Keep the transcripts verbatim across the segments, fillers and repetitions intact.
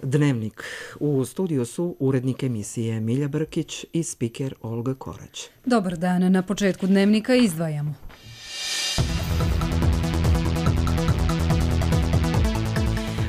Dnevnik. U studiju su urednik emisije Milja Brkić i spiker Olga Korać. Dobar dan. Na početku Dnevnika izdvajamo.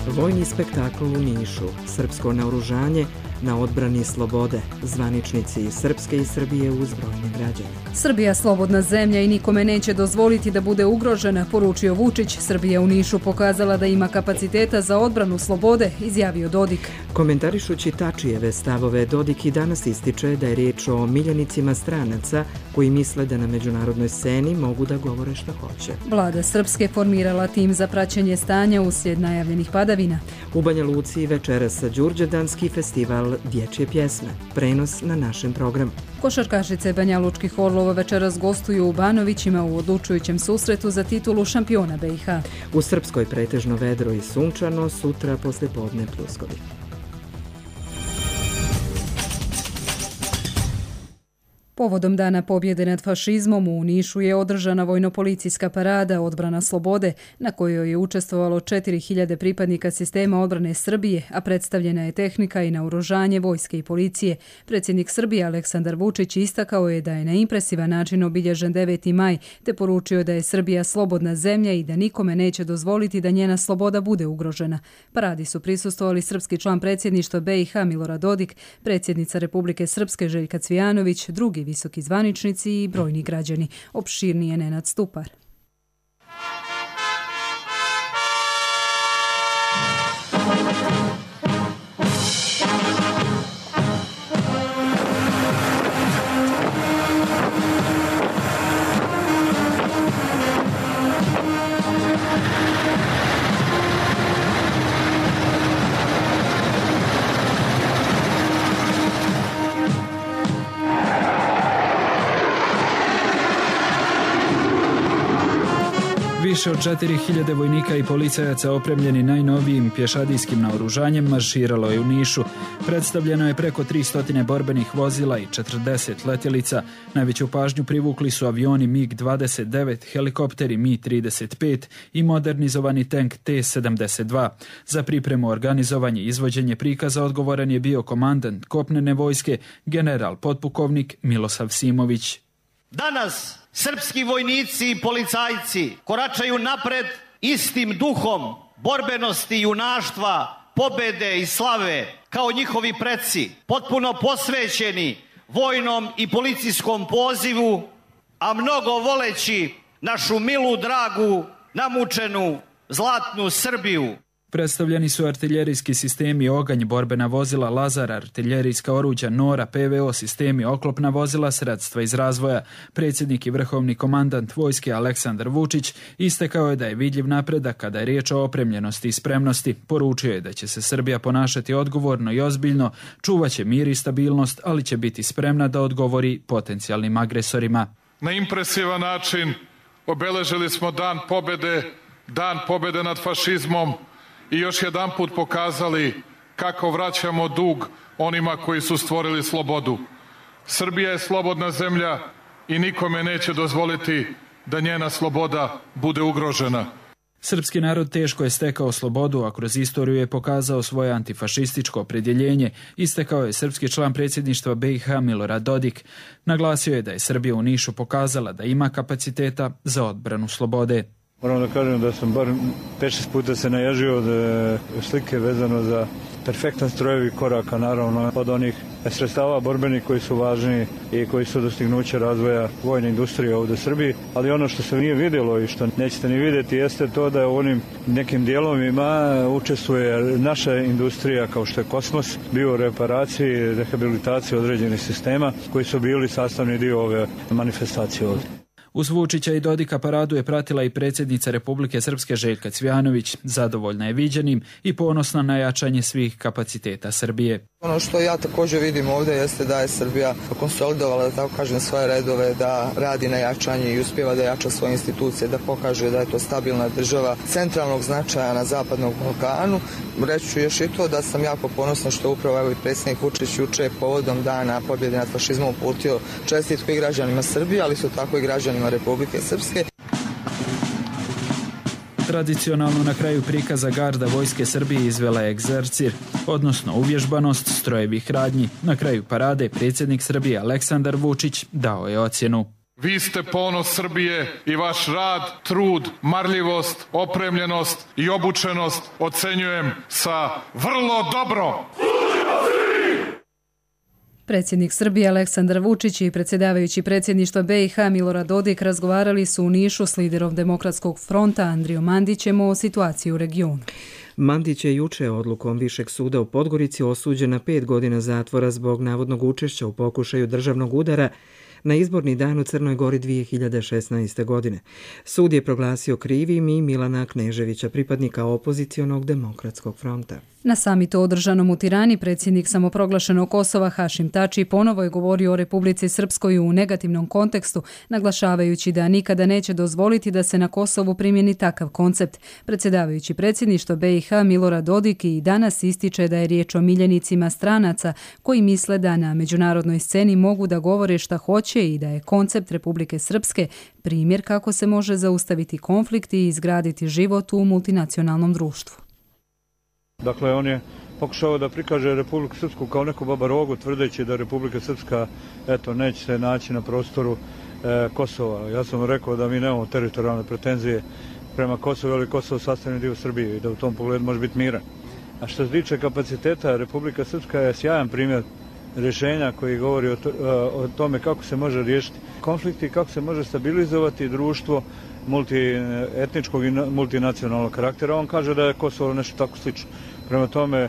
Vojni spektakl u Nišu, srpsko naoružanje na odbrani slobode, zvaničnici Srpske i Srbije uz brojne građane. Srbija slobodna zemlja i nikome neće dozvoliti da bude ugrožena, poručio Vučić. Srbija u Nišu pokazala da ima kapaciteta za odbranu slobode, izjavio Dodik. Komentarišući Tačijeve stavove, Dodik i danas ističe da je riječ o miljenicima stranaca koji misle da na međunarodnoj sceni mogu da govore što hoće. Vlada Srpske formirala tim za praćenje stanja uslijed najavljenih padavina. U Banja Luci večeras Đurđevdanski festival dječje pjesme. Prenos na našem programu. Košarkašice Banja Lučkih Orlova večeras gostuju u Banovićima u odlučujućem susretu za titulu šampiona B i H. U Srpskoj pretežno vedro i sunčano, sutra poslijepodne pljuskovi. Povodom Dana pobjede nad fašizmom u Nišu je održana vojno-policijska parada Odbrana slobode, na kojoj je učestvovalo četiri hiljade pripadnika sistema odbrane Srbije, a predstavljena je tehnika i naoružanje vojske i policije. Predsjednik Srbije Aleksandar Vučić istakao je da je na impresivan način obilježen deveti maj, te poručio da je Srbija slobodna zemlja i da nikome neće dozvoliti da njena sloboda bude ugrožena. Paradi su prisustvovali srpski član predsjedništva B i H Milorad Dodik, predsjednica Republike Srpske Željka Cvijanović, drugi visoki zvaničnici i brojni građani. Opširnije Nenad Stupar. Više od četiri hiljade vojnika i policajaca opremljeni najnovijim pješadijskim naoružanjem marširalo je u Nišu. Predstavljeno je preko tristo borbenih vozila i četrdeset letjelica. Najveću pažnju privukli su avioni mig dvadeset devet, helikopteri mi trideset pet i modernizovani tank te sedamdeset dva. Za pripremu, organizovanje i izvođenje prikaza odgovoran je bio komandant kopnene vojske, general potpukovnik Milosav Simović. Danas srpski vojnici i policajci koračaju napred istim duhom borbenosti, junaštva, pobede i slave kao njihovi preci, potpuno posvećeni vojnom i policijskom pozivu, a mnogo voleći našu milu, dragu, namučenu, zlatnu Srbiju. Predstavljeni su artiljerijski sistemi Oganj, borbena vozila Lazar, artiljerijska oruđa Nora, P V O sistemi, oklopna vozila, sredstva iz razvoja. Predsjednik i vrhovni komandant vojske Aleksandar Vučić istakao je da je vidljiv napredak kada je riječ o opremljenosti i spremnosti. Poručio je da će se Srbija ponašati odgovorno i ozbiljno, čuvaće mir i stabilnost, ali će biti spremna da odgovori potencijalnim agresorima. Na impresivan način obeležili smo dan pobjede, dan pobjede nad fašizmom, i još jedan put pokazali kako vraćamo dug onima koji su stvorili slobodu. Srbija je slobodna zemlja i nikome neće dozvoliti da njena sloboda bude ugrožena. Srpski narod teško je stekao slobodu, a kroz istoriju je pokazao svoje antifašističko opredjeljenje, istakao je srpski član predsjedništva B i H Milorad Dodik. Naglasio je da je Srbija u Nišu pokazala da ima kapaciteta za odbranu slobode. Moram da kažem da sam bar pet šest puta se naježio od slike vezano za perfektan strojevi koraka, naravno od onih sredstava borbenih koji su važni i koji su dostignuće razvoja vojne industrije ovdje u Srbiji, ali ono što se nije vidjelo i što nećete ni vidjeti jeste to da u onim nekim dijelovima učestvuje naša industrija kao što je kosmos, bioreparaciji, rehabilitaciji određenih sistema koji su bili sastavni dio ove manifestacije ovdje. Uz Vučića i Dodika paradu je pratila i predsjednica Republike Srpske Željka Cvijanović. Zadovoljna je viđenim i ponosna na jačanje svih kapaciteta Srbije. Ono što ja također vidim ovdje jeste da je Srbija konsolidovala, da tako kažem, svoje redove, da radi na jačanju i uspjeva da jača svoje institucije, da pokaže da je to stabilna država centralnog značaja na zapadnom Balkanu. Reći ću još i to da sam jako ponosna što upravo evo i predsjednik Vučić juče povodom Dana pobjede nad fašizmom uputio čestitku i građanima Srbije, ali su tako i građanima Republike Srpske. Tradicionalno na kraju prikaza garda vojske Srbije izvela je egzercir, odnosno uvježbanost strojevih radnji. Na kraju parade predsjednik Srbije Aleksandar Vučić dao je ocjenu. Vi ste ponos Srbije i vaš rad, trud, marljivost, opremljenost i obučenost ocenjujem sa vrlo dobro. Predsjednik Srbije Aleksandar Vučić i predsjedavajući predsjedništva B i H Milorad Dodik razgovarali su u Nišu s liderom Demokratskog fronta Andrijom Mandićem o situaciji u regionu. Mandić je juče odlukom Višeg suda u Podgorici osuđen na pet godina zatvora zbog navodnog učešća u pokušaju državnog udara na izborni dan u Crnoj Gori dvije hiljade šesnaeste. godine. Sud je proglasio krivim i Milana Kneževića, pripadnika opozicionog Demokratskog fronta. Na samitu održanom u Tirani predsjednik samoproglašenog Kosova Hašim Tači ponovo je govorio o Republici Srpskoj u negativnom kontekstu, naglašavajući da nikada neće dozvoliti da se na Kosovu primjeni takav koncept. Predsjedavajući predsjedništvo B i H Milorad Dodik i danas ističe da je riječ o miljenicima stranaca koji misle da na međunarodnoj sceni mogu da govore šta hoće i da je koncept Republike Srpske primjer kako se može zaustaviti konflikt i izgraditi život u multinacionalnom društvu. Dakle, on je pokušao da prikaže Republiku Srpsku kao neku babarogu, tvrdeći da Republika Srpska eto, neće se naći na prostoru e, Kosova. Ja sam rekao da mi nemamo teritorijalne pretenzije prema Kosovu, ali Kosovo sastavni dio Srbije i da u tom pogledu može biti miran. A što se tiče kapaciteta, Republika Srpska je sjajan primjer rješenja koji govori o, to, o tome kako se može riješiti konflikti, kako se može stabilizovati društvo multietničkog i multinacionalnog karaktera. On kaže da je Kosovo nešto tako slično. Prema tome, e,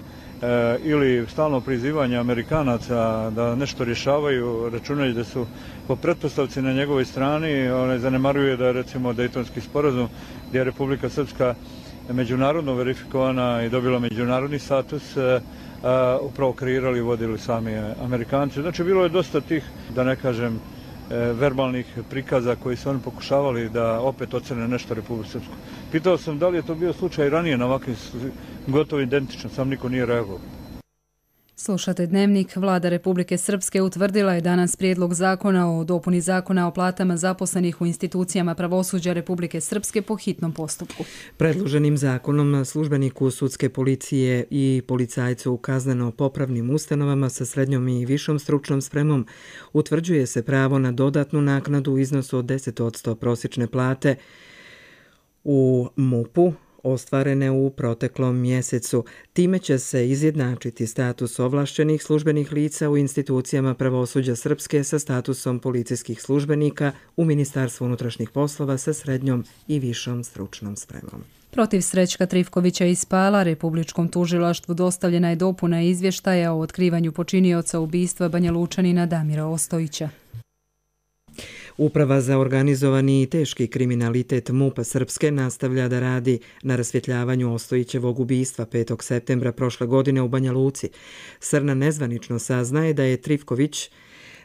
ili stalno prizivanje Amerikanaca da nešto rješavaju, računajući da su po pretpostavci na njegovoj strani, one zanemaruje da je recimo Dejtonski sporazum gdje je Republika Srpska međunarodno verifikovana i dobila međunarodni status, e, a, upravo kreirali i vodili sami Amerikanci. Znači, bilo je dosta tih, da ne kažem, verbalnih prikaza koji su oni pokušavali da opet ocene nešto Republiku Srpsku. Pitao sam da li je to bio slučaj ranije na ovakvim gotovo identično, sam niko nije reagovao. Slušate Dnevnik. Vlada Republike Srpske utvrdila je danas prijedlog zakona o dopuni zakona o platama zaposlenih u institucijama pravosuđa Republike Srpske po hitnom postupku. Predloženim zakonom službeniku sudske policije i policajcu u kazneno-popravnim ustanovama sa srednjom i višom stručnom spremom utvrđuje se pravo na dodatnu naknadu u iznosu od deset posto prosječne plate u M U P-u ostvarene u proteklom mjesecu. Time će se izjednačiti status ovlašćenih službenih lica u institucijama pravosuđa Srpske sa statusom policijskih službenika u Ministarstvu unutrašnjih poslova sa srednjom i višom stručnom spremom. Protiv Srećka Trifkovića iz Pala Republičkom tužilaštvu dostavljena je dopuna izvještaja o otkrivanju počinioca ubistva Banjalučanina Damira Ostojića. Uprava za organizovani i teški kriminalitet M U P-a Srpske nastavlja da radi na rasvjetljavanju Ostojićevog ubistva petog septembra prošle godine u Banja Luci. Srna nezvanično saznaje da je Trifković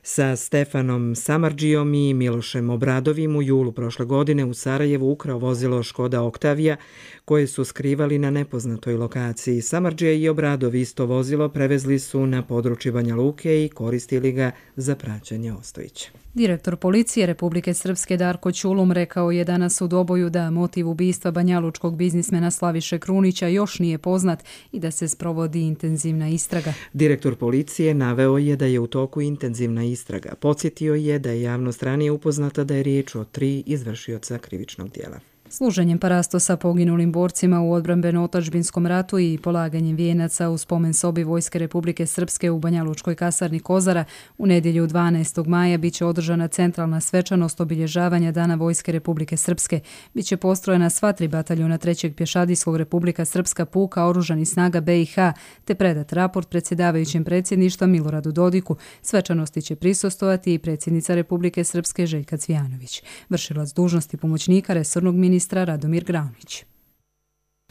sa Stefanom Samardžijom i Milošem Obradovim u julu prošle godine u Sarajevu ukrao vozilo Škoda Oktavija koje su skrivali na nepoznatoj lokaciji. Samardžija i Obradov isto vozilo prevezli su na područje Banja Luke i koristili ga za praćenje Ostojića. Direktor policije Republike Srpske Darko Ćulum rekao je danas u Doboju da motiv ubistva banjalučkog biznismena Slaviše Krunića još nije poznat i da se sprovodi intenzivna istraga. Direktor policije naveo je da je u toku intenzivna istraga. Podsjetio je da je javnost ranije upoznata da je riječ o tri izvršioca krivičnog djela. Služenjem parastosa poginulim borcima u odbrambeno-otadžbinskom ratu i polaganjem vijenaca u spomen sobi Vojske Republike Srpske u Banjalučkoj kasarni Kozara u nedjelju dvanaestog maja biće održana centralna svečanost obilježavanja Dana Vojske Republike Srpske. Biće postrojena sva tri bataljona trećeg pješadijskog Republika Srpska puka oružanih snaga B i H te predat raport predsjedavajućem predsjedništva Miloradu Dodiku. Svečanosti će prisustvovati i predsjednica Republike Srpske Željka Cvijanović. Vršilac dužnosti pomoćnika resornog ministra ministra Radomir Graunić.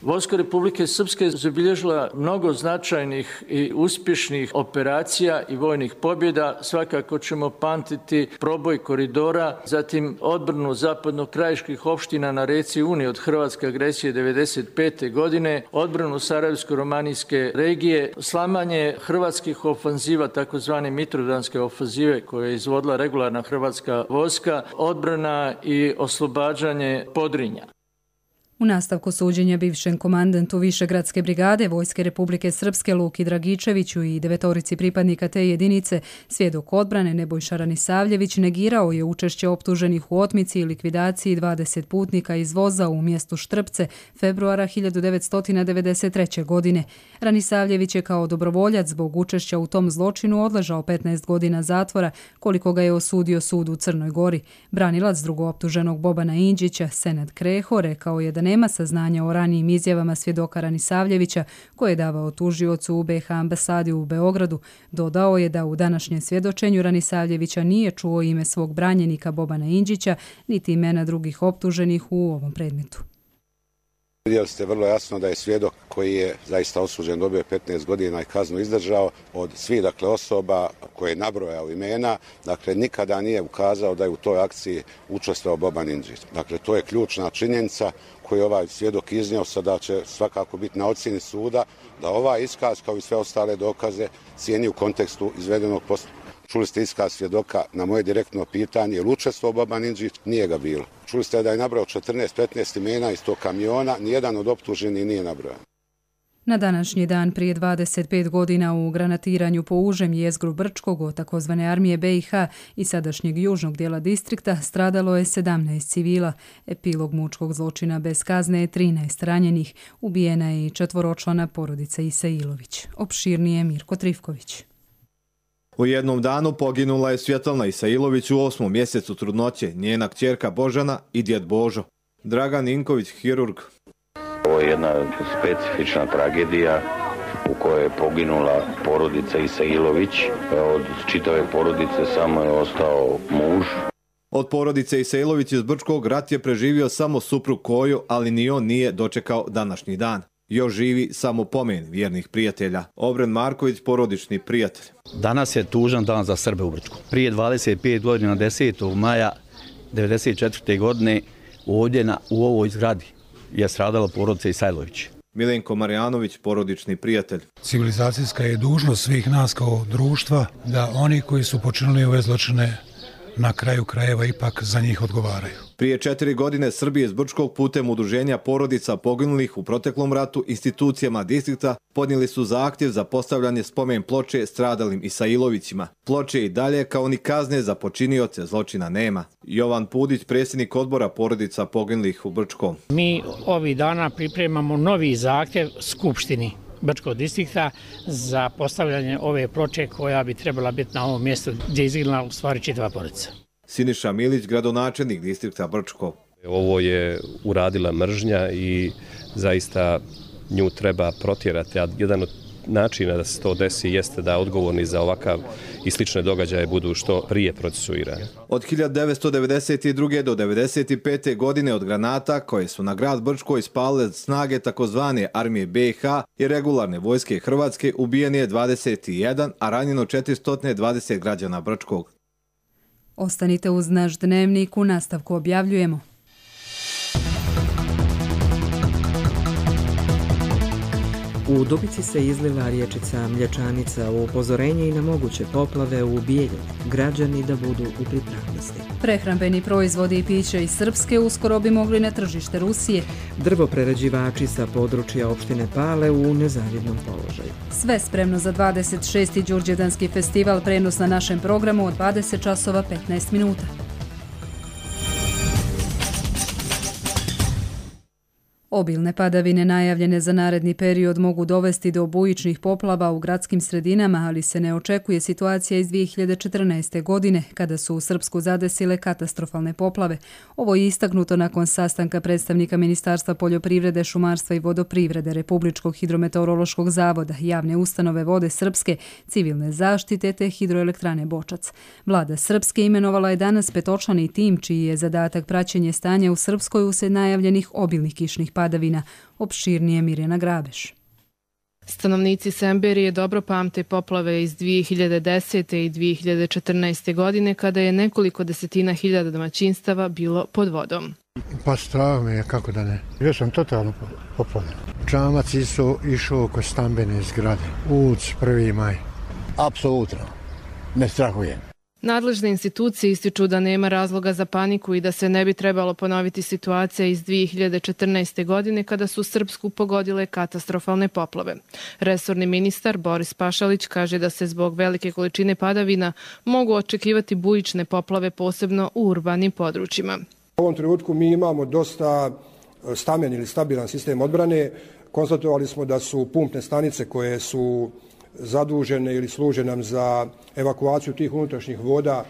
Vojska Republike Srpske zabilježila mnogo značajnih i uspješnih operacija i vojnih pobjeda. Svakako ćemo pamtiti proboj koridora, zatim odbranu zapadno-krajiških opština na reci Uni od hrvatske agresije devedeset pete. godine, odbranu Sarajevsko-romanijske regije, slamanje hrvatskih ofanziva, takozvane mitrodanske ofanzive koje je izvodila regularna hrvatska vojska, odbrana i oslobađanje Podrinja. U nastavku suđenja bivšem komandantu Višegradske brigade Vojske Republike Srpske Luki Dragičeviću i devetorici pripadnika te jedinice, svjedok odbrane Nebojša Ranisavljević negirao je učešće optuženih u otmici i likvidaciji dvadeset putnika iz voza u mjestu Štrpce februara hiljadu devetsto devedeset treće. godine. Ranisavljević je kao dobrovoljac zbog učešća u tom zločinu odležao petnaest godina zatvora, koliko ga je osudio sud u Crnoj Gori. Branilac drugooptuženog Bobana Inđića, Senad Kreho, rekao je da nema saznanja o ranijim izjavama svjedoka Ranisavljevića koje je davao tužiocu u B iH ambasadi u Beogradu. Dodao je da u današnjem svjedočenju Ranisavljevića nije čuo ime svog branjenika Bobana Inđića, niti imena drugih optuženih u ovom predmetu. Vidjeli ste vrlo jasno da je svjedok koji je zaista osuđen, dobio petnaest godina i kaznu izdržao od svih dakle, osoba koje je nabrojao imena, dakle nikada nije ukazao da je u toj akciji učestvovao Boban Inđić. Dakle to je ključna činjenica koju je ovaj svjedok iznio, sada će svakako biti na ocjeni suda da ovaj iskaz kao i sve ostale dokaze cijeni u kontekstu izvedenog postupka. Čuli ste iskaz svjedoka na moje direktno pitanje, je li učestvovao Boban Inđić? Nije ga bilo. Čuli ste da je nabrao četrnaest petnaest imena iz tog kamiona, nijedan od optuženih nije nabrojan. Na današnji dan prije dvadeset pet godina u granatiranju po užem jezgru Brčkog od takozvane armije B iH i sadašnjeg južnog dijela distrikta stradalo je sedamnaest civila. Epilog mučkog zločina bez kazne je trinaest ranjenih. Ubijena je i četvoročlana porodica Isailović. Opširnije Mirko Trifković. U jednom danu poginula je Svjetlana Isailović u osmom mjesecu trudnoće, njena kćerka Božana i djed Božo. Dragan Inković, hirurg. Ovo je jedna specifična tragedija u kojoj je poginula porodica Isailović. Od čitave porodice samo je ostao muž. Od porodice Isailović iz Brčkog rat je preživio samo suprug Kojo, ali ni on nije dočekao današnji dan. Još živi samo pomen vjernih prijatelja. Obren Marković, porodični prijatelj. Danas je tužan dan za Srbe u Brčku. Prije dvadeset pet godina, desetog maja devedeset četvrte. godine, ovdje na, u ovoj zgradi je stradala porodica Isailović. Milenko Marjanović, porodični prijatelj. Civilizacijska je dužnost svih nas kao društva da oni koji su počinili ove zločine na kraju krajeva ipak za njih odgovaraju. Prije četiri godine Srbije iz Brčkog putem udruženja porodica poginulih u proteklom ratu institucijama distrikta podnijeli su zahtjev za postavljanje spomen ploče stradalim Isailovićima. Ploče i dalje kao ni kazne za počinioce zločina nema. Jovan Pudić, predsjednik odbora porodica poginulih u Brčkom. Mi ovih dana pripremamo novi zahtjev Skupštini Brčkog distrikta za postavljanje ove ploče koja bi trebala biti na ovom mjestu gdje je izginula u stvari čitava porodica. Siniša Milić, gradonačelnik distrikta Brčko. Ovo je uradila mržnja i zaista nju treba protjerati. A jedan od načina da se to desi jeste da odgovorni za ovakav i slične događaje budu što prije procesuirani. Od hiljadu devetsto devedeset druge. do devedeset pete. godine od granata koje su na grad Brčko ispalile snage takozvane armije B iH i regularne vojske Hrvatske ubijen je dvadeset jedan, a ranjeno četiristo dvadeset građana Brčkog. Ostanite uz naš dnevnik, u nastavku objavljujemo. U Dubici se izlila riječica Mlječanica u upozorenje i na moguće poplave u Bijeljini. Građani da budu u pripravnosti. Prehrambeni proizvodi i piće iz Srpske uskoro bi mogli na tržište Rusije. Drvoprerađivači sa područja opštine Pale u nezavidnom položaju. Sve spremno za dvadeset šesti Đurđevdanski festival, prenos na našem programu od dvadeset časova petnaest minuta. Obilne padavine najavljene za naredni period mogu dovesti do bujičnih poplava u gradskim sredinama, ali se ne očekuje situacija iz dvije hiljade četrnaeste. godine, kada su u Srpsku zadesile katastrofalne poplave. Ovo je istaknuto nakon sastanka predstavnika Ministarstva poljoprivrede, šumarstva i vodoprivrede, Republičkog hidrometeorološkog zavoda, javne ustanove Vode Srpske, civilne zaštite te hidroelektrane Bočac. Vlada Srpske imenovala je danas petočlani tim čiji je zadatak praćenje stanja u Srpskoj uslijed najavljenih obilnih kišnih padavina. Opširnije Mirjana Grabeš. Stanovnici Semberije dobro pamte poplave iz dvije hiljade desete. i dvije hiljade četrnaeste. godine kada je nekoliko desetina hiljada domaćinstava bilo pod vodom. Pa strah me je, kako da ne. Bio sam totalno poplavljen. Čamac su išao oko stambene zgrade. Uc, prvi maj. Apsolutno. Ne strahujem. Nadležne institucije ističu da nema razloga za paniku i da se ne bi trebalo ponoviti situacija iz dvije hiljade četrnaeste. godine kada su Srpsku pogodile katastrofalne poplave. Resorni ministar Boris Pašalić kaže da se zbog velike količine padavina mogu očekivati bujične poplave posebno u urbanim područjima. U ovom trenutku mi imamo dosta stamen ili stabilan sistem odbrane. Konstatovali smo da su pumpne stanice koje su zadužene ili služe nam za evakuaciju tih unutrašnjih voda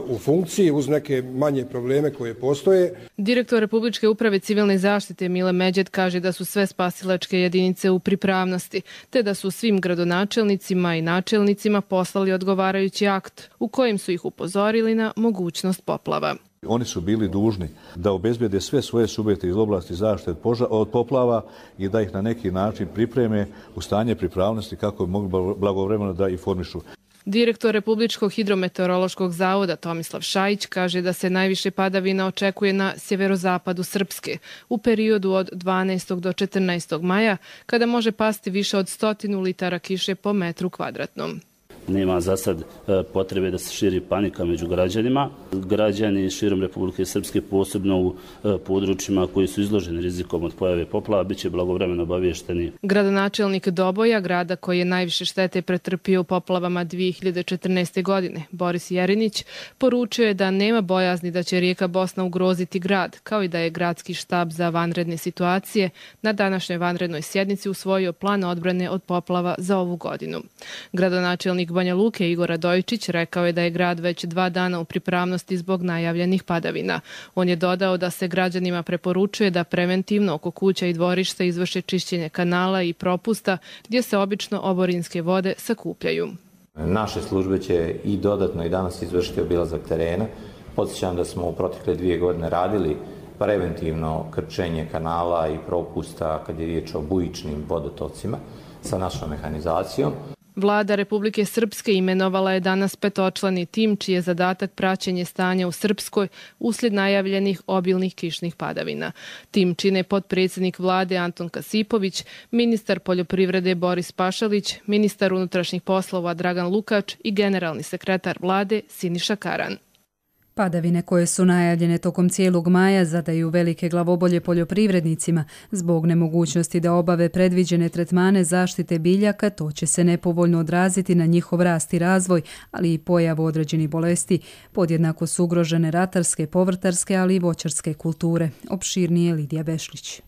u funkciji uz neke manje probleme koje postoje. Direktor Republičke uprave civilne zaštite Mile Međed kaže da su sve spasilačke jedinice u pripravnosti, te da su svim gradonačelnicima i načelnicima poslali odgovarajući akt u kojem su ih upozorili na mogućnost poplava. Oni su bili dužni da obezbijede sve svoje subjekte iz oblasti zaštite od poplava i da ih na neki način pripreme u stanje pripravnosti kako bi mogli blagovremeno da informišu. Direktor Republičkog hidrometeorološkog zavoda Tomislav Šajić kaže da se najviše padavina očekuje na sjeverozapadu Srpske u periodu od dvanaestog do četrnaestog maja, kada može pasti više od stotinu litara kiše po metru kvadratnom. Nema za sad potrebe da se širi panika među građanima. Građani širom Republike Srpske, posebno u područjima koji su izloženi rizikom od pojave poplava, bit će blagovremeno obavješteni. Gradonačelnik Doboja, grada koji je najviše štete pretrpio u poplavama dvije hiljade četrnaeste. godine, Boris Jerinić, poručio je da nema bojazni da će rijeka Bosna ugroziti grad, kao i da je gradski štab za vanredne situacije na današnjoj vanrednoj sjednici usvojio plan odbrane od poplava za ovu godinu. Gradonačelnik Banja Luke Igor Radojičić rekao je da je grad već dva dana u pripravnosti zbog najavljenih padavina. On je dodao da se građanima preporučuje da preventivno oko kuća i dvorišta izvrše čišćenje kanala i propusta gdje se obično oborinske vode sakupljaju. Naše službe će i dodatno i danas izvršiti obilazak terena. Podsjećam da smo u protekle dvije godine radili preventivno krčenje kanala i propusta kad je riječ o bujičnim vodotocima sa našom mehanizacijom. Vlada Republike Srpske imenovala je danas petočlani tim čiji je zadatak praćenje stanja u Srpskoj uslijed najavljenih obilnih kišnih padavina. Tim čine potpredsjednik vlade Anton Kasipović, ministar poljoprivrede Boris Pašalić, ministar unutrašnjih poslova Dragan Lukač i generalni sekretar vlade Siniša Karan. Padavine koje su najavljene tokom cijelog maja zadaju velike glavobolje poljoprivrednicima. Zbog nemogućnosti da obave predviđene tretmane zaštite biljaka, to će se nepovoljno odraziti na njihov rast i razvoj, ali i pojavu određenih bolesti. Podjednako su ugrožene ratarske, povrtarske, ali i voćarske kulture. Opširnije Lidija Bešlić.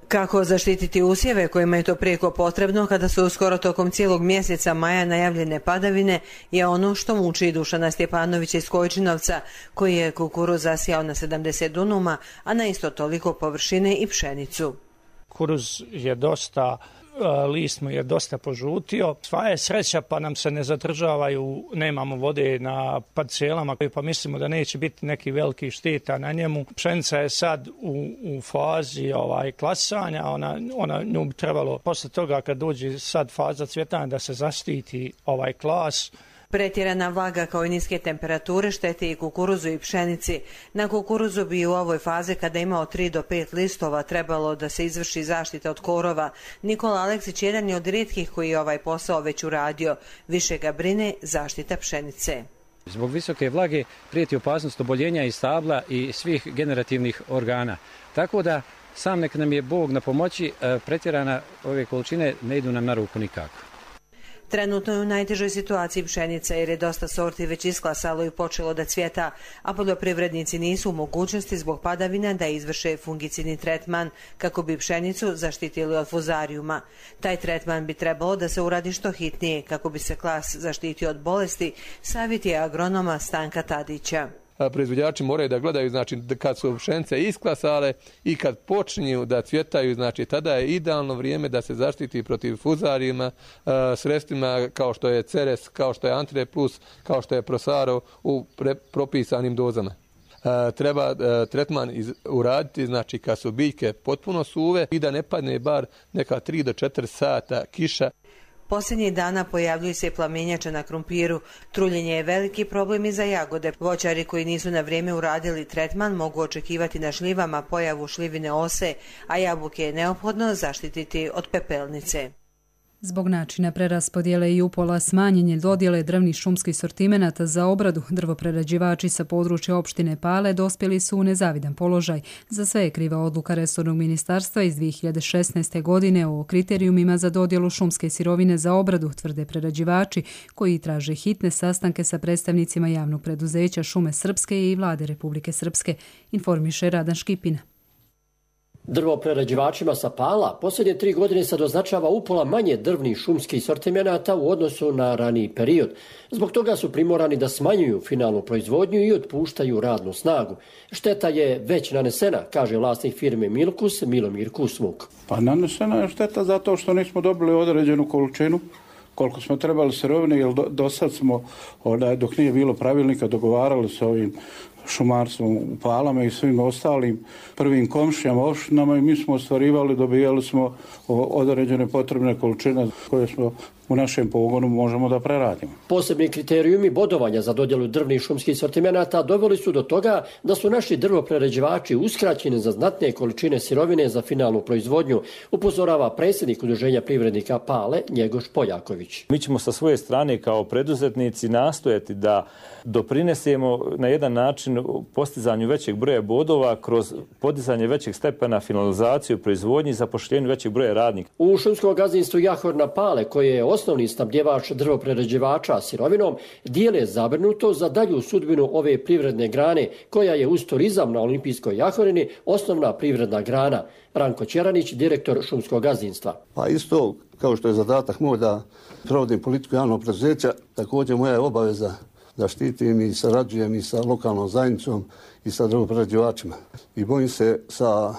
Kako zaštititi usjeve kojima je to prijeko potrebno kada su uskoro tokom cijelog mjeseca maja najavljene padavine je ono što muči Dušana Stjepanovića iz Kojčinovca, koji je kukuruz zasijao na sedamdeset dunuma, a na isto toliko površine i pšenicu. Kukuruz je dosta, list mu je dosta požutio. Sva je sreća pa nam se ne zadržavaju, nemamo vode na parcelama, pa mislimo da neće biti neki veliki šteta na njemu. Pšenica je sad u, u fazi ovaj, klasanja, ona, ona nju bi trebalo posle toga kad dođe sad faza cvjetanja da se zaštiti ovaj klas. Pretjerana vlaga kao i niske temperature štete i kukuruzu i pšenici. Na kukuruzu bi u ovoj fazi kada je imao tri do pet listova trebalo da se izvrši zaštita od korova. Nikola Aleksić jedan je od rijetkih koji je ovaj posao već uradio. Više ga brine zaštita pšenice. Zbog visoke vlage prijeti opasnost oboljenja i stabla i svih generativnih organa. Tako da sam nek nam je Bog na pomoći, pretjerana ove količine ne idu nam na ruku nikako. Trenutno je u najtežoj situaciji pšenica jer je dosta sorti već isklasalo i počelo da cvjeta, a poljoprivrednici nisu u mogućnosti zbog padavina da izvrše fungicidni tretman kako bi pšenicu zaštitili od fuzarijuma. Taj tretman bi trebalo da se uradi što hitnije kako bi se klas zaštitio od bolesti, savjet je agronoma Stanka Tadića. Proizvođači moraju da gledaju, znači kad su pšenice isklasale i kad počinju da cvjetaju, znači tada je idealno vrijeme da se zaštiti protiv fuzarijima sredstvima kao što je Ceres, kao što je Antre Plus, kao što je Prosaro u pre, propisanim dozama. Treba tretman iz, uraditi, znači kad su biljke potpuno suve i da ne padne bar neka tri do četiri sata kiša. Posljednjih dana pojavljuju se plamenjače na krumpiru. Truljenje je veliki problem i za jagode. Voćari koji nisu na vrijeme uradili tretman mogu očekivati na šljivama pojavu šljivine ose, a jabuke je neophodno zaštititi od pepelnice. Zbog načina preraspodjele i upola smanjenje dodjele drvnih šumskih sortimenata za obradu, drvoprerađivači sa područja opštine Pale dospjeli su u nezavidan položaj. Za sve je kriva odluka resornog ministarstva iz dvije hiljade šesnaeste. godine o kriterijumima za dodjelu šumske sirovine za obradu, tvrde prerađivači, koji traže hitne sastanke sa predstavnicima javnog preduzeća Šume Srpske i Vlade Republike Srpske, informiše Radan Škipina. Drvoprerađivačima sa Pala posljednje tri godine se doznačava upola manje drvnih šumskih sortimenata u odnosu na raniji period. Zbog toga su primorani da smanjuju finalnu proizvodnju i otpuštaju radnu snagu. Šteta je već nanesena, kaže vlasnik firme Milkus Milomir Kusmuk. Pa nanesena je šteta zato što nismo dobili određenu količinu koliko smo trebali sirovine, jer do, do sad smo, dok nije bilo pravilnika, dogovarali se ovim šumarstvom u Palama i svim ostalim prvim komšijama, opštinama i mi smo ostvarivali, dobijali smo određene potrebne količine koje smo u našem pogonu možemo da preradimo. Posebni kriterijumi bodovanja za dodjelu drvnih šumskih sortimenata doveli su do toga da su naši drvoprerađivači uskraćeni za znatne količine sirovine za finalnu proizvodnju, upozorava predsjednik Udruženja privrednika Pale Njegoš Poljaković. Mi ćemo sa svoje strane kao preduzetnici nastojati da doprinesemo na jedan način postizanju većeg broja bodova kroz podizanje većeg stepena finalizaciju proizvodnji i zapošljenju većeg broja radnika. U šumskom gazdinstvu Jahorna Pale, koje je osnovni snabdjevač drvoprerađivača sirovinom, dijele zabrinuto za dalju sudbinu ove privredne grane, koja je uz turizam na Olimpijskoj Jahorini osnovna privredna grana. Ranko Ćeranić, direktor šumskog gazdinstva. Pa isto kao što je zadatak moj da provodim politiku javnog preduzeća, također moja je obaveza da štitim i sarađujem i sa lokalnom zajednicom i sa drvoprerađivačima. I bojim se sa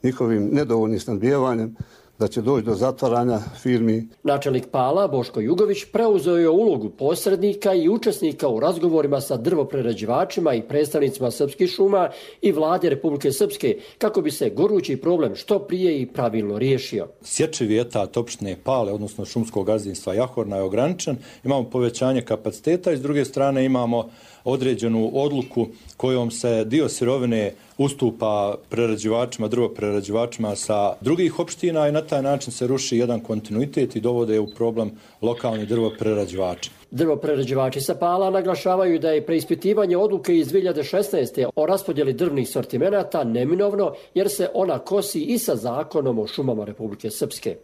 njihovim nedovoljnim snabdijevanjem da će doći do zatvaranja firmi. Načelnik Pala Boško Jugović preuzeo je ulogu posrednika i učesnika u razgovorima sa drvoprerađivačima i predstavnicima srpskih šuma i Vlade Republike Srpske kako bi se gorući problem što prije i pravilno riješio. Sječivi etat opštine Pale, odnosno šumskog gazdinstva Jahorna, je ograničen. Imamo povećanje kapaciteta i s druge strane imamo određenu odluku kojom se dio sirovine ustupa prerađivačima, drvoprerađivačima sa drugih opština i na taj način se ruši jedan kontinuitet i dovode u problem lokalni drvoprerađivači. Drvoprerađivači sa Pala naglašavaju da je preispitivanje odluke iz dvije hiljade šesnaeste. o raspodjeli drvnih sortimenata neminovno jer se ona kosi i sa zakonom o šumama Republike Srpske.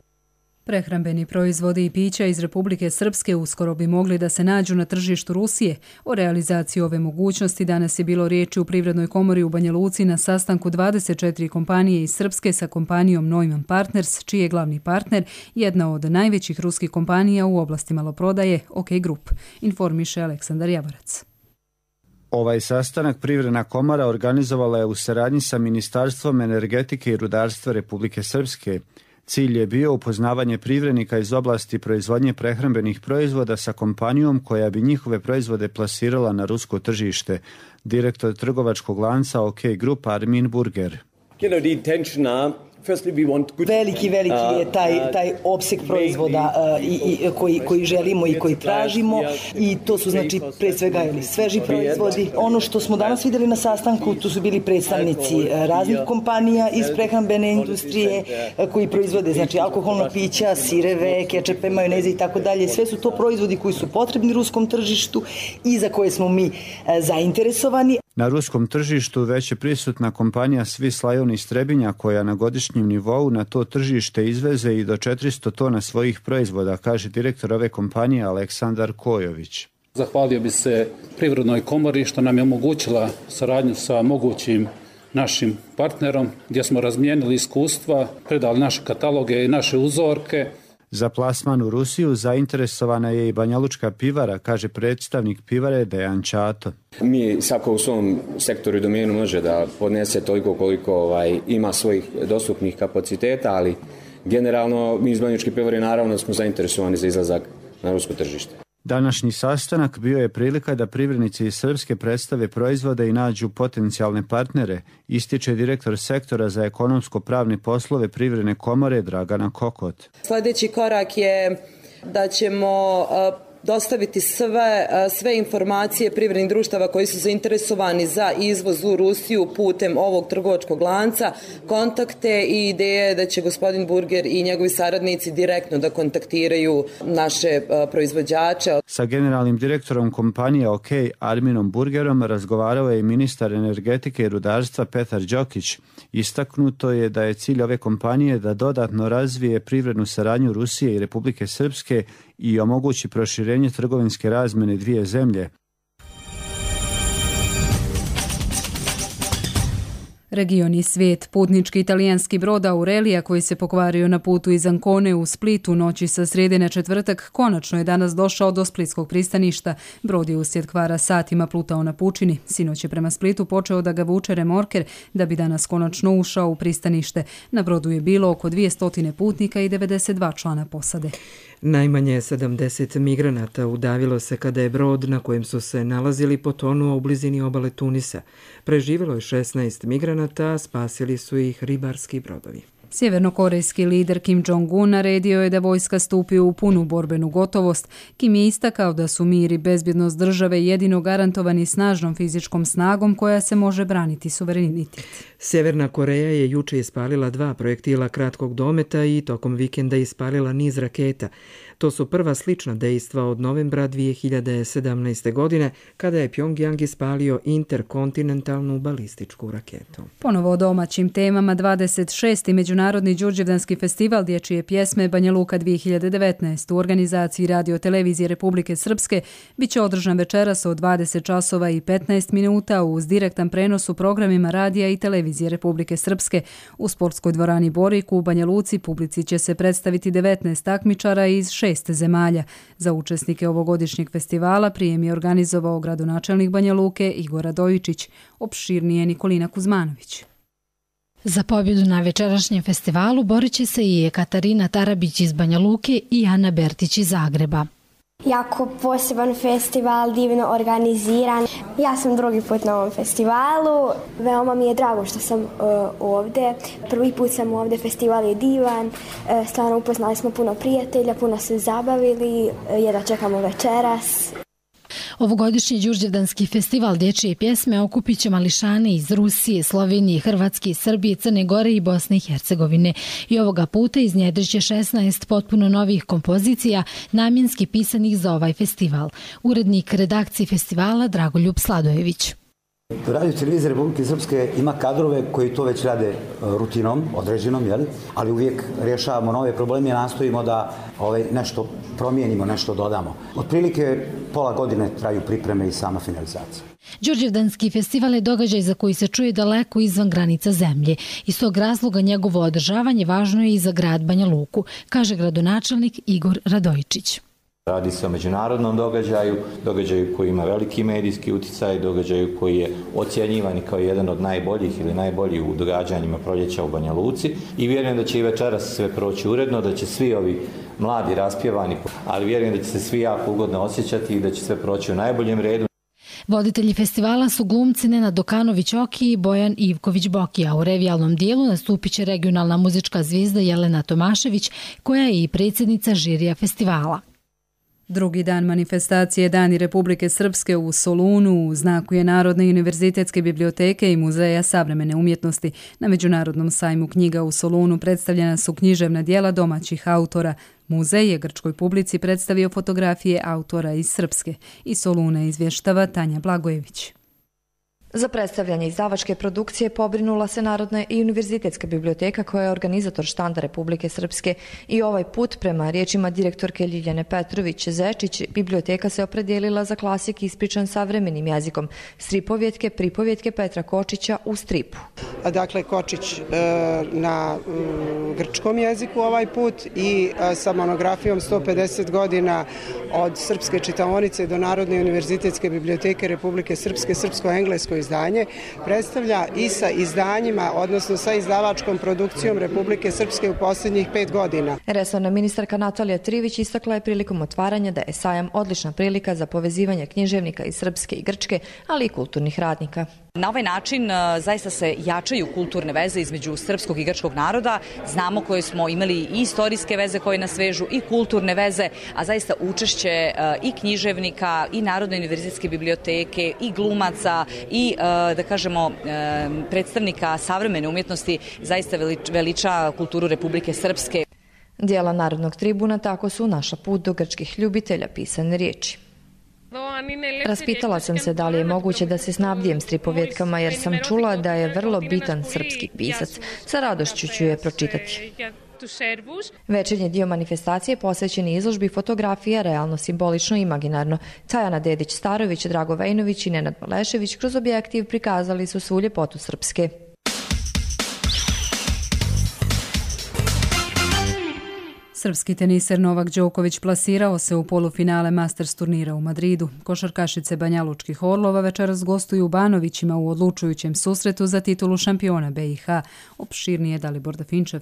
Prehrambeni proizvodi i pića iz Republike Srpske uskoro bi mogli da se nađu na tržištu Rusije. O realizaciji ove mogućnosti danas je bilo riječi u Privrednoj komori u Banja Luci na sastanku dvadeset četiri kompanije iz Srpske sa kompanijom Neumann Partners, čiji je glavni partner jedna od najvećih ruskih kompanija u oblasti maloprodaje OK Group, informiše Aleksandar Javorac. Ovaj sastanak Privredna komora organizovala je u saradnji sa Ministarstvom energetike i rudarstva Republike Srpske. Cilj je bio upoznavanje privrednika iz oblasti proizvodnje prehrambenih proizvoda sa kompanijom koja bi njihove proizvode plasirala na rusko tržište. Direktor trgovačkog lanca OK Group Armin Burger. Veliki, veliki je taj, taj opseg proizvoda uh, i, i, koji, koji želimo i koji tražimo i to su znači pre svega ili sveži proizvodi. Ono što smo danas vidjeli na sastanku, tu su bili predstavnici raznih kompanija iz prehrambene industrije koji proizvode znači alkoholna pića, sireve, kečepe, majoneze i tako dalje. Sve su to proizvodi koji su potrebni ruskom tržištu i za koje smo mi uh, zainteresovani. Na ruskom tržištu već je prisutna kompanija Swiss Lion iz Trebinja koja na godišnjem nivou na to tržište izveze i do četiristo tona svojih proizvoda, kaže direktor ove kompanije Aleksandar Kojović. Zahvalio bi se Privrednoj komori što nam je omogućila saradnju sa mogućim našim partnerom gdje smo razmijenili iskustva, predali naše kataloge i naše uzorke. Za plasman u Rusiju zainteresovana je i Banjalučka pivara, kaže predstavnik pivare Dejan Čato. Mi svako u svom sektoru i domenu može da podnese toliko koliko ovaj, ima svojih dostupnih kapaciteta, ali generalno mi iz Banjalučke pivare naravno smo zainteresovani za izlazak na rusko tržište. Današnji sastanak bio je prilika da privrednici iz Srpske predstave proizvode i nađu potencijalne partnere, ističe direktor sektora za ekonomsko-pravne poslove Privredne komore Dragana Kokot. Sljedeći korak je da ćemo dostaviti sve, sve informacije privrednih društava koji su zainteresovani za izvoz u Rusiju putem ovog trgovačkog lanca, kontakte i ideje da će gospodin Burger i njegovi saradnici direktno da kontaktiraju naše proizvođače. Sa generalnim direktorom kompanije OK Arminom Burgerom razgovarao je i ministar energetike i rudarstva Petar Đokić. Istaknuto je da je cilj ove kompanije da dodatno razvije privrednu saradnju Rusije i Republike Srpske i omogući proširenje trgovinske razmjene dvije zemlje. Region i svijet. Putnički italijanski brod Aurelija koji se pokvario na putu iz Ancone u Splitu noći sa srijede na četvrtak konačno je danas došao do splitskog pristaništa. Brod je uslijed kvara satima plutao na pučini. Sinoć je prema Splitu počeo da ga vuče remorker da bi danas konačno ušao u pristanište. Na brodu je bilo oko dvjesto putnika i devedeset dva člana posade. Najmanje sedamdeset migranata udavilo se kada je brod na kojem su se nalazili potonuo u blizini obale Tunisa. Preživjelo je šesnaest migranata, spasili su ih ribarski brodovi. Sjevernokorejski lider Kim Jong-un naredio je da vojska stupi u punu borbenu gotovost. Kim je istakao da su mir i bezbjednost države jedino garantovani snažnom fizičkom snagom koja se može braniti suverenitet. Sjeverna Koreja je juče ispalila dva projektila kratkog dometa i tokom vikenda ispalila niz raketa. To su prva slična dejstva od novembra dvije hiljade sedamnaeste. godine, kada je Pjongjang ispalio interkontinentalnu balističku raketu. Ponovo o domaćim temama. dvadeset šesti Međunarodni Đurđevdanski festival dječje pjesme Banja Luka dvije hiljade devetnaeste. u organizaciji Radio Televizije Republike Srpske bit će održan večeras od dvadeset časova i petnaest minuta uz direktan prenos u programima radija i televizije Republike Srpske. U sportskoj dvorani Boriku u Banja Luci publici će se predstaviti devetnaest takmičara iz šest zemalja. Za učesnike ovogodišnjeg festivala prijem je organizovao gradonačelnik Banja Luke Igor Radojičić. Opširnije Nikolina Kuzmanović. Za pobjedu na večerašnjem festivalu borit će se i Katarina Tarabić iz Banja Luke i Ana Bertić iz Zagreba. Jako poseban festival, divno organiziran. Ja sam drugi put na ovom festivalu. Veoma mi je drago što sam uh, ovdje. Prvi put sam ovdje, festival je divan. Uh, stvarno upoznali smo puno prijatelja, puno se zabavili. Uh, jedva čekamo večeras. Ovogodišnji Đurđevdanski festival dječje pjesme okupit će mališane iz Rusije, Slovenije, Hrvatske, Srbije, Crne Gore i Bosne i Hercegovine. I ovoga puta iznjedrit će šesnaest potpuno novih kompozicija namjenski pisanih za ovaj festival. Urednik redakcije festivala Dragoljub Sladojević. Radio Televizija Republike Srpske ima kadrove koji to već rade rutinom, određenom, jel? Ali uvijek rješavamo nove probleme i nastojimo da ovaj, nešto promijenimo, nešto dodamo. Otprilike pola godine traju pripreme i sama finalizacija. Đurđevdanski festival je događaj za koji se čuje daleko izvan granica zemlje. Iz tog razloga njegovo održavanje važno je i za grad Banja Luku, kaže gradonačelnik Igor Radojičić. Radi se o međunarodnom događaju, događaju koji ima veliki medijski utjecaj, događaju koji je ocjenjivan kao jedan od najboljih ili najboljih u događanjima proljeća u Banja Luci i vjerujem da će i večeras sve proći uredno, da će svi ovi mladi raspjevani, ali vjerujem da će se svi jako ugodno osjećati i da će sve proći u najboljem redu. Voditelji festivala su glumci Nenad Dokanović-Oki i Bojan Ivković-Boki, a u revijalnom dijelu nastupit će regionalna muzička zvijezda Jelena Tomašević, koja je i predsjednica žirija festivala. Drugi dan manifestacije Dani Republike Srpske u Solunu u znaku je Narodne univerzitetske biblioteke i Muzeja savremene umjetnosti. Na Međunarodnom sajmu knjiga u Solunu predstavljena su književna djela domaćih autora. Muzej je grčkoj publici predstavio fotografije autora iz Srpske. Iz Soluna izvještava Tanja Blagojević. Za predstavljanje izdavačke produkcije pobrinula se Narodna i univerzitetska biblioteka koja je organizator štanda Republike Srpske i ovaj put, prema riječima direktorke Ljiljane Petrović-Zečić, biblioteka se opredijelila za klasik ispričan savremenim jezikom, stripovjetke, pripovjetke Petra Kočića u stripu. Dakle, Kočić na grčkom jeziku ovaj put i sa monografijom sto pedeset godina od srpske čitaonice do Narodne univerzitetske biblioteke Republike Srpske, srpsko-englesko izdanje, predstavlja i sa izdanjima, odnosno sa izdavačkom produkcijom Republike Srpske u posljednjih pet godina. Resorna ministarka Natalija Trivić istakla je prilikom otvaranja da je sajam odlična prilika za povezivanje književnika iz Srpske i Grčke, ali i kulturnih radnika. Na ovaj način zaista se jačaju kulturne veze između srpskog i grčkog naroda. Znamo koje smo imali i istorijske veze koje nas vežu i kulturne veze, a zaista učešće i književnika i Narodne univerzitetske biblioteke i glumaca i da kažemo predstavnika savremene umjetnosti zaista veliča kulturu Republike Srpske. Dijela Narodnog tribuna tako su naša put do grčkih ljubitelja pisane riječi. Raspitala sam se da li je moguće da se snabdijem stripovjetkama jer sam čula da je vrlo bitan srpski pisac. Sa radošću ću je pročitati. Večernji dio manifestacije posvećen je izložbi fotografija realno, simbolično i imaginarno. Tajana Dedić-Starović, Drago Vejnović i Nenad Malešević kroz objektiv prikazali su svu ljepotu Srpske. Srpski teniser Novak Đoković plasirao se u polufinale Masters turnira u Madridu. Košarkašice Banjalučkih Orlova večeras gostuju u Banovićima u odlučujućem susretu za titulu šampiona B i H. Opširnije Dalibor Dafinčev.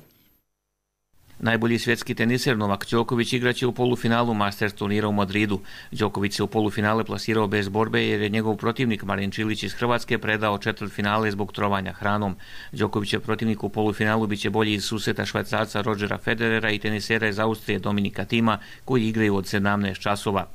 Najbolji svjetski teniser Novak Đoković igraće u polufinalu Masters turnira u Madridu. Đoković se u polufinale plasirao bez borbe jer je njegov protivnik Marin Čilić iz Hrvatske predao četvrtfinale zbog trovanja hranom. Đokovićev protivnik u polufinalu biće bolji iz susreta Švajcarca Rodgera Federera i tenisera iz Austrije Dominika Tima koji igraju od sedamnaest časova.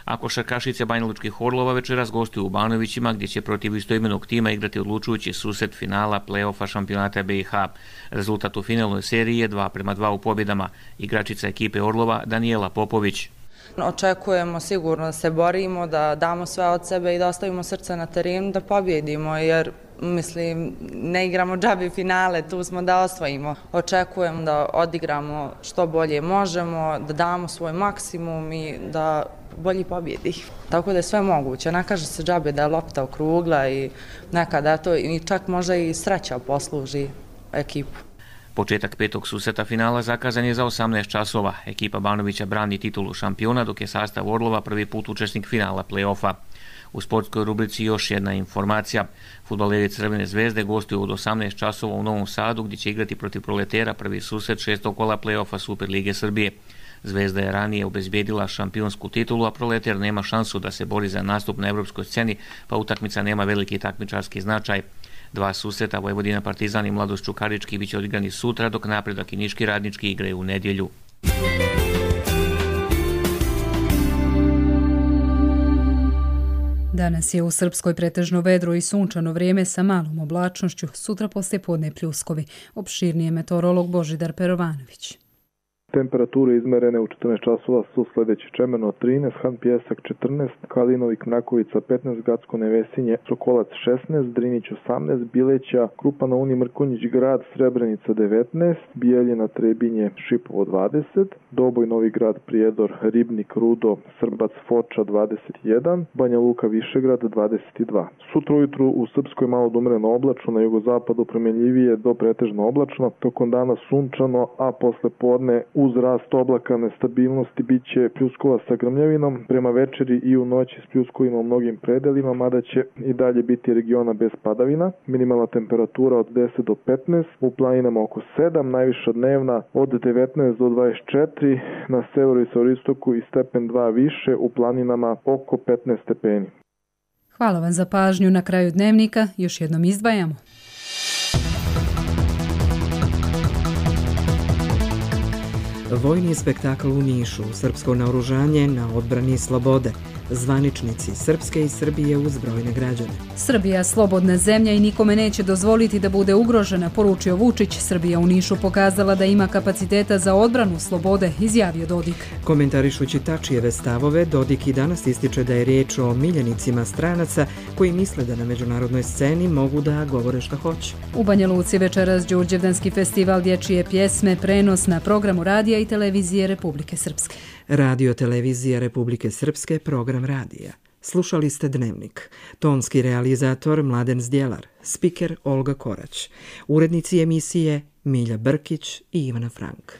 A košarkašice Banjalučkih Orlova večeras gostuju u Banovićima gdje će protiv istoimenog tima igrati odlučujući susret finala play-offa šampionata B i H. Rezultat u finalnoj seriji je dva prema dva u pobjedama. Igračica ekipe Orlova Danijela Popović. Očekujemo sigurno da se borimo, da damo sve od sebe i da ostavimo srce na terenu, da pobjedimo jer mislim ne igramo džabi finale, tu smo da osvojimo. Očekujem da odigramo što bolje možemo, da damo svoj maksimum i da bolji pobjedi. Tako da je sve moguće. Ne kaže se džabe da je lopta okrugla i nekada to i čak možda i sreća posluži ekipu. Početak petog susreta finala zakazan je za osamnaest časova. Ekipa Banovića brani titulu šampiona dok je sastav Orlova prvi put učesnik finala play-offa. U sportskoj rubrici još jedna informacija. Fudbaleri Crvene zvezde gostuju od osamnaest časova u Novom Sadu gdje će igrati protiv Proletera prvi susret šestog kola play-offa Super Lige Srbije. Zvezda je ranije obezbijedila šampionsku titulu, a Proletar nema šansu da se bori za nastup na evropskoj sceni, pa utakmica nema veliki takmičarski značaj. Dva susreta Vojvodina Partizan i Mladost Čukarički biće odigrani sutra, dok Napredak i Niški Radnički igraju u nedjelju. Danas je u Srpskoj pretežno vedro i sunčano vrijeme sa malom oblačnošću, sutra poslijepodne pljuskovi. Opširnije meteorolog Božidar Perovanović. Temperature izmerene u četrnaest časova su sljedeći: Čemeno trinaest, Han Pijesak četrnaest, Kalinovik Mrakovica petnaest, Gacko Nevesinje, Sokolac šesnaest, Drinić osamnaest, Bileća, Krupana Uni Mrkonjić Grad, Srebrenica devetnaest, Bijeljina Trebinje Šipovo dvadeset, Doboj Novi Grad Prijedor, Ribnik Rudo, Srbac Foča dvadeset jedan, Banja Luka Višegrad dvadeset dva. Sutra ujutru u Srpskoj malo odumreno oblačno, na jugozapadu promjenljivije do pretežno oblačno, tokom dana sunčano, a posle podne uz rast oblaka nestabilnosti bit će pljuskova sa grmljavinom, prema večeri i u noći s pljuskovima u mnogim predelima, mada će i dalje biti regiona bez padavina. Minimalna temperatura od deset do petnaest, u planinama oko sedam, najviša dnevna od devetnaest do dvadeset četiri, na severu i severoistoku i stepen dva više, u planinama oko petnaest stepeni. Hvala vam za pažnju. Na kraju dnevnika još jednom izdvajamo. Vojni spektakl u Nišu, srpsko naoružanje na odbrani slobode, zvaničnici Srpske i Srbije uz brojne građane. Srbija slobodna zemlja i nikome neće dozvoliti da bude ugrožena, poručio Vučić. Srbija u Nišu pokazala da ima kapaciteta za odbranu slobode, izjavio Dodik. Komentarišući Tačijeve stavove, Dodik i danas ističe da je riječ o miljenicima stranaca koji misle da na međunarodnoj sceni mogu da govore šta hoće. U Banja Luci večeras Đurđevdanski festival dječje pjesme, prenos na programu radija i televizije Republike Srpske. Radio televizija Republike Srpske, program radija. Slušali ste Dnevnik. Tonski realizator Mladen Zdjelar, spiker Olga Korać. Urednici emisije Milja Brkić i Ivana Frank.